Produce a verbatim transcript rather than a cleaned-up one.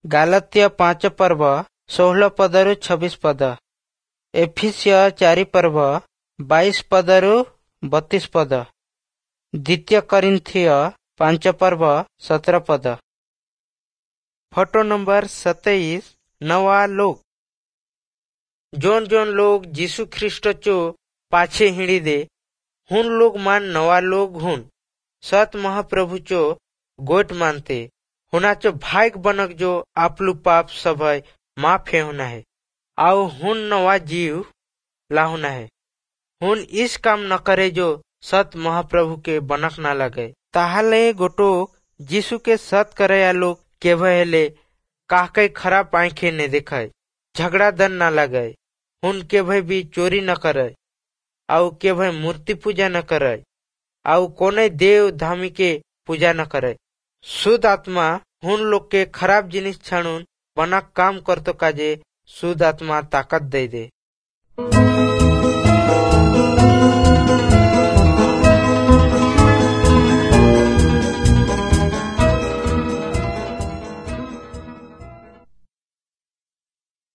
ଗାଲତୀୟ ପାଞ୍ଚ ପର୍ବ ଷୋହଳ ପଦରୁ ଛବିଶ ପଦ। ଏଫିସିୟ ଚାରି ପର୍ବ ବାଇଶ ପଦରୁ ବତିଶ ପଦ। ଦ୍ୱିତୀୟ କରିନ୍ଥୀୟ ପାଞ୍ଚ ପର୍ବ ସତର ପଦ। ଫଟୋ ନମ୍ବର ସତେଇଶ, ନवा लोग। जोन जोन लोग यीशु ख्रीष्ट चो पाछे हिड़ी दे हुन लोग मान नवा लोग हुन। सत महाप्रभु चो गोट मानते हुनाचो भाग बनक जो आपलु पाप सभय माफ हे होना है आउ हुन नवा जीव लाहुना है। हुन इस काम न करे जो सत महाप्रभु के बनक ना लगे। ताहले गोटो यीशु के सत करे लोग केवे हेले काहके खराब आंखे ने देखे, झगड़ा दन ना लगे, हुन केवे भी चोरी न करे, आउ केवे मूर्ति पूजा न करे, आउ कोने देव धामी के पूजा न करे। शुद्ध आत्मा हुन लोग के खराब जिनिस छाणून बना काम करतो काजे शुद्ध आत्मा ताकत दे दे।